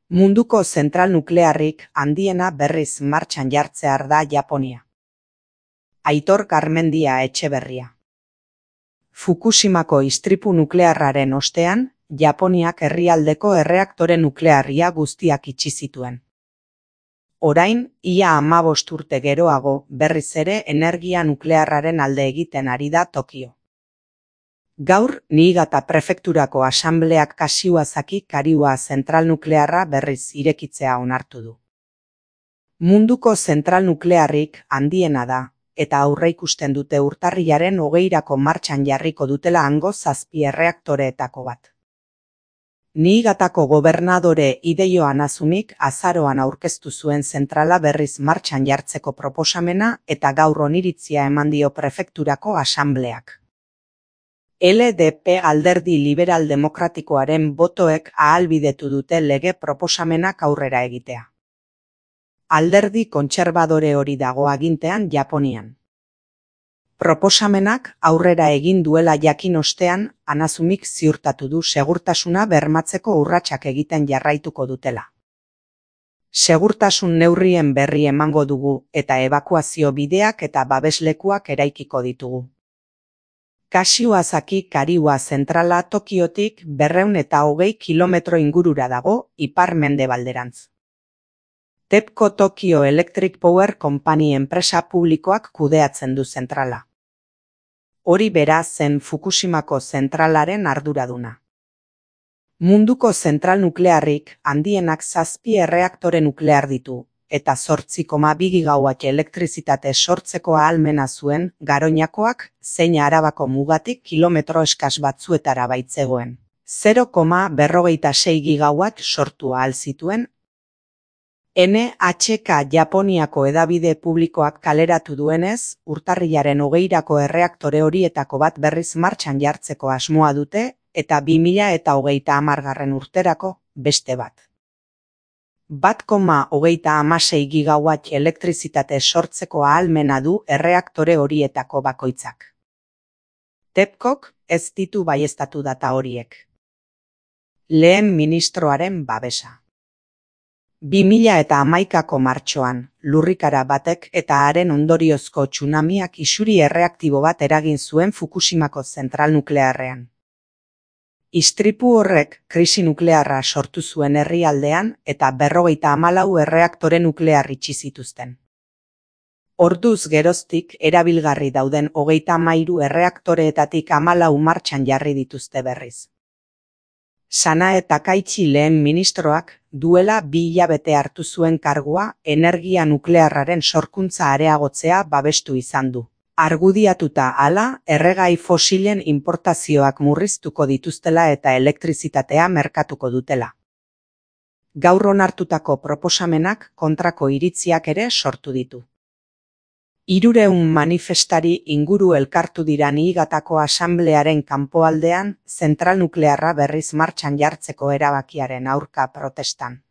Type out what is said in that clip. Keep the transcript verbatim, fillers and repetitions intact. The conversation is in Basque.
Munduko zentral nuklearrik handiena berriz martxan jartzear da Japonia. Aitor Garmendia Etxeberria. Fukushimako istripu nuklearraren ostean, Japoniak herrialdeko erreaktore nuklearria guztiak itxi zituen. Orain, ia hamabost urte geroago, berriz ere energia nuklearraren alde egiten ari da Tokio. Gaur, Niigata prefekturako asambleak Kashiwazaki Kariwa zentral nuklearra berriz irekitzea onartu du. Munduko zentral nuklearrik handiena da, eta aurreikusten dute urtarrilaren hogeirako martxan jarriko dutela hango zazpi erreaktoreetako bat. Niigatako gobernadore Hideo Hanazumik azaroan aurkeztu zuen zentrala berriz martxan jartzeko proposamena eta gaur oniritzia eman dio prefekturako asambleak. L D P alderdi liberal demokratikoaren botoek ahalbidetu dute lege proposamenak aurrera egitea. Alderdi kontserbadore hori dago agintean Japonian. Proposamenak aurrera egin duela jakin ostean, Hanazumik ziurtatu du segurtasuna bermatzeko urratsak egiten jarraituko dutela. Segurtasun neurrien berri emango dugu eta ebakuazio bideak eta babeslekuak eraikiko ditugu. Kashiwazaki Kariwa zentrala Tokiotik berrehun eta hogei kilometro ingurura dago, ipar-mendebalderantz. TEPCO Tokyo Electric Power Company enpresa publikoak kudeatzen du zentrala. Hori bera zen Fukushimako zentralaren arduraduna. Munduko zentral nuklearrik handienak zazpi erreaktore nuklear ditu, eta zortzi koma bi gigawatt elektrizitate sortzeko ahalmena zuen Garoñakoak zein Arabako mugatik kilometro eskas batzuetara baitzegoen. zero koma berrogeita sei gigawatt sortu ahal zituen. N H K Japoniako hedabide publikoak kaleratu duenez, urtarrilaren hogeirako erreaktore horietako bat berriz martxan jartzeko asmoa dute, eta bi mila eta hogeita hamargarren urterako beste bat. bat koma hogeita hamasei gigawatt elektrizitate sortzeko ahalmena du erreaktore horietako bakoitzak. TEPCOk ez ditu baieztatu data horiek. Lehen ministroaren babesa. bi mila eta hamaikako martxoan, lurrikara batek eta haren ondoriozko tsunamiak isuri erreaktibo bat eragin zuen Fukushimako zentral nuklearrean. Istripu horrek krisi nuklearra sortu zuen herrialdean eta berrogeita hamalau erreaktore nuklear itxi zituzten. Orduz geroztik erabilgarri dauden hogeita hamairu erreaktoreetatik hamalau martxan jarri dituzte berriz. Sanae Takaichi lehen ministroak duela bi hilabete hartu zuen kargua energia nuklearraren sorkuntza areagotzea babestu izan du. Argudiatuta hala, erregai fosilen importazioak murriztuko dituztela eta elektrizitatea merkatuko dutela. Gaur onartutako proposamenak kontrako iritziak ere sortu ditu. Hirurehun manifestari inguru elkartu dira Niigatako asamblearen kanpoaldean zentral nuklearra berriz martxan jartzeko erabakiaren aurka protestan.